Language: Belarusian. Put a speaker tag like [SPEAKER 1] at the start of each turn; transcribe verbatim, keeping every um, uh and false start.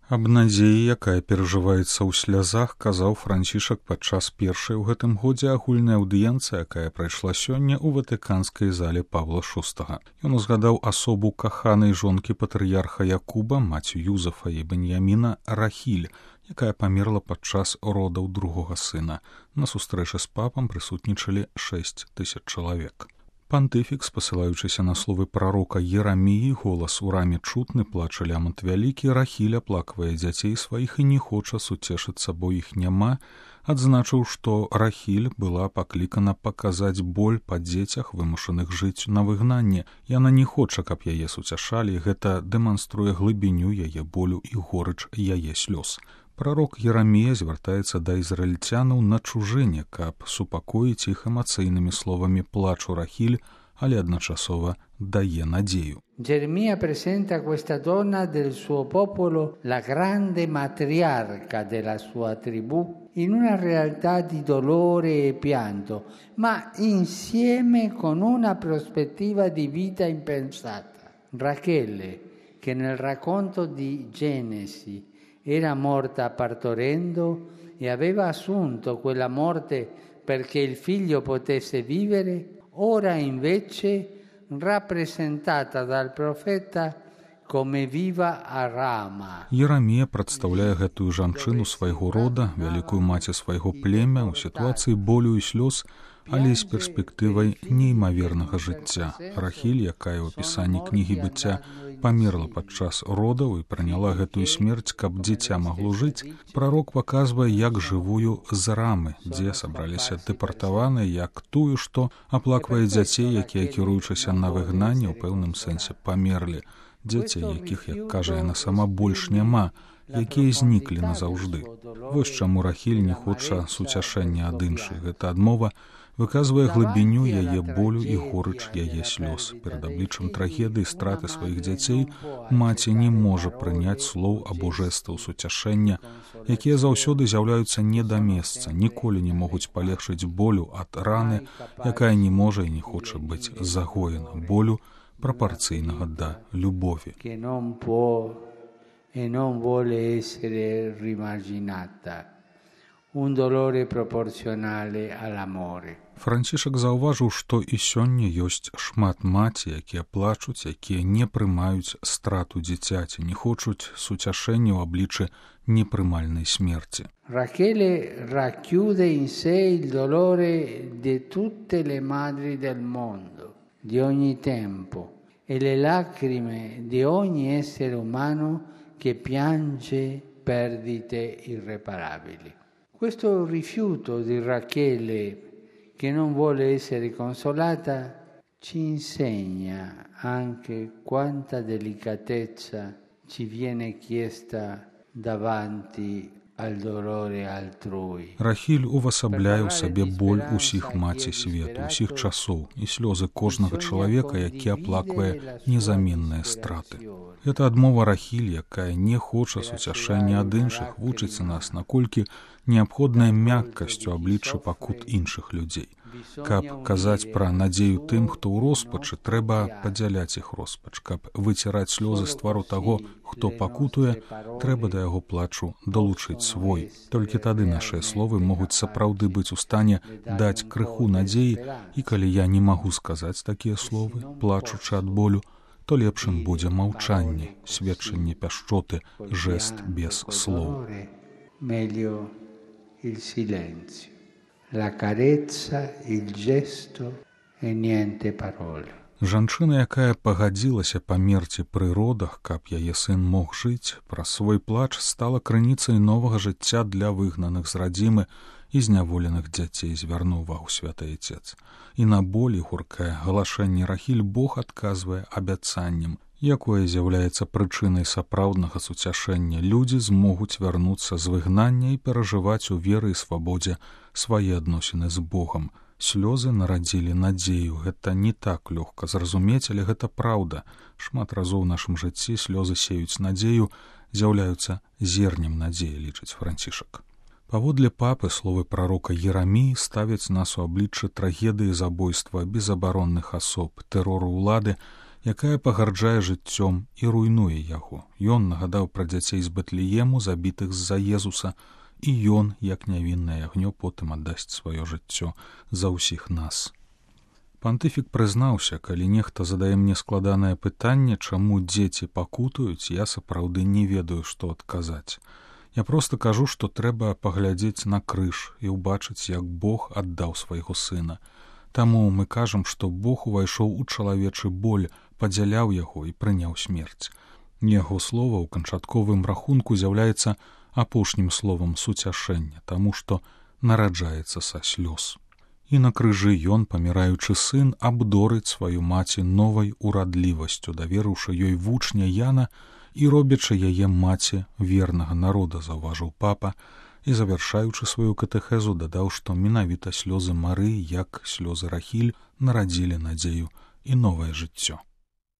[SPEAKER 1] Аб надзеі, якая перажываецца ў слязах, казаў Францішак падчас першай у гэтым годзе агульнай аўдыенцыі, якая прайшла сёння ў ватыканскай зале Павла шостага. Ён узгадаў асобу каханай жонкі патрыярха Якуба, маці Юзафа і Беньяміна, Рахіль, якая памерла падчас родаў другога сына. На сустрэчы з папам прысутнічалі шэсць тысяч чалавек. Пантыфік, спасылаючыся на словы прарока Ераміі, голас у раме чутны, плача лямант вялікі, Рахіль аплаквае дзяцей сваіх і не хоча суцешыцца, бо іх няма, адзначыў, што Рахіль была паклікана паказаць боль па дзецях, вымушаных жыць на выгнанні. Яна не хоча, каб яе суцяшалі, гэта дэманструе глыбіню яе болю і горыч яе слёз. Прарок Ерамія звяртаецца да ізраільцянаў на чужыне, каб супакоіць іх эмацыйнымі словамі плачу Рахіль, але адначасова дае надзею.
[SPEAKER 2] Geremia presenta questa donna del suo popolo, la grande matriarca della sua tribù, in una realtà di dolore e pianto, ma insieme con una prospettiva di vita impensata. Rachele, che nel racconto di Genesi era morta partorendo e aveva assunto quella morte perché il figlio potesse vivere, ora invece rappresentata dal profeta come viva a Rama.
[SPEAKER 1] Ерамія прадстаўляе гэтую жанчыну свайго рода, вялікую маці свайго племя ў сітуацыі болю і слёз, але з перспектывай неймавернага жыцця. Рахіль, якая ў апісанні кнігі быцця памерла падчас родаў і прыняла гэтую смерць, каб дзіця магло жыць, прарок паказвае як жывую з рамы, дзе сабраліся дэпартаваныя, як тую, што аплаквае дзяцей, якія, кіруючыся на выгнанне, ў пэўным сэнсе памерлі. Дзяцей, якіх, як кажа яна сама, больш няма, якія зніклі назаўжды. Вось чаму Рахіль не хоча суцяшэння ад іншых. Гэта адмова выказвае глыбіню яе болю і горыч яе слёз. Перад абліччам трагедыі страты сваіх дзяцей маці не можа прыняць слоў або жэстаў суцяшэння, якія заўсёды з'яўляюцца не да месца, ніколі не могуць палегчыць болю ад раны, якая не можа і не хоча быць загоена, болю пропорційного да любові.
[SPEAKER 2] E non vuole essere rimarginata, un dolore proporzionale all'amore.
[SPEAKER 1] Францішак заўважыў, што і сёння ёсць шмат маці, якія плачуць, якія не прымаюць страту дзіцяці, не хочуць суцяшэння ў абліччы непрымальнай смерці.
[SPEAKER 2] Rachele racchiude in sé il dolore di tutte le madri del mondo, di ogni tempo, e le lacrime di ogni essere umano che piange perdite irreparabili. Questo rifiuto di Rachele, che non vuole essere consolata, ci insegna anche quanta delicatezza ci viene chiesta davanti al dolore altrui.
[SPEAKER 1] Рахіль увасабляе ў сабе боль усіх маці свету, усіх часоў і слёзы кожнага чалавека, які аплаквае незаменныя страты. Гэта адмова Рахіль, якая не хоча суцяшэння ад іншых, вучыць нас, наколькі неабходная мяккасць у абліччы пакут іншых людзей. Каб казаць пра надзею тым, хто ў роспачы, трэба падзяляць іх роспач. Каб выціраць слёзы з твару таго, хто пакутуе, трэба да яго плачу далучыць свой. Толькі тады нашыя словы могуць сапраўды быць у стане даць крыху надзеі, і калі я не магу сказаць такія словы, плачучы ад болю, то лепшым будзе маўчанне, сведчанне пяшчоты, жэст без слоў.
[SPEAKER 2] Meglio il silenzio. La carezza, il gesto e niente parole.
[SPEAKER 1] Жанчына, якая пагадзілася памерці пры родах, каб яе сын мог жыць, праз свой плач стала крыніцай новага жыцця для выгнаных з радзімы і зняволеных дзяцей, звярнуў увагу святы Айцец. І на болі гуркае галашэнне Рахіль Бог адказвае абяцаннем, якое з'яўляецца прычынай сапраўднага суцяшэння. Людзі змогуць вярнуцца з выгнання і перажываць у веры і свабодзе свае адносіны з Богам. Слёзы нарадзілі надзею. Гэта не так лёгка зразумець, але гэта праўда. Шмат разоў у нашым жыцці слёзы сеюць надзею, з'яўляюцца зернем надзеі, лічыць Францішак. Паводле папы словы прарока Ераміі ставяць нас у абліччы трагедыі забойства безабаронных асоб, тэрору ўлады, якая пагарджае жыццём і руйнуе яго. Ён нагадаў пра дзяцей з Бэтлеему, забітых з-за Езуса, і ён, як нявіннае агнё, потым аддасць сваё жыццё за ўсіх нас. Пантыфік прызнаўся: калі нехта задае мне складанае пытанне, чаму дзеці пакутуюць, я сапраўды не ведаю, што адказаць. Я проста кажу, што трэба паглядзець на крыж і ўбачыць, як Бог аддаў свайго сына. Таму мы кажам, што Бог увайшоў у чалавечы боль, падзяляў яго і прыняў смерць. Яго слова ў канчатковым рахунку з'яўляецца апошнім словам суцяшэння, таму што нараджаецца са слёз. І на крыжы ён, паміраючы сын, абдорыць сваю маці новай урадлівасцю, даверыўшы ёй вучня Яна і робячы яе маці вернага народа, заўважыў папа, і, завяршаючы сваю катэхезу, дадаў, што менавіта слёзы Марыі, як слёзы Рахіль, нарадзілі надзею і новае жыццё.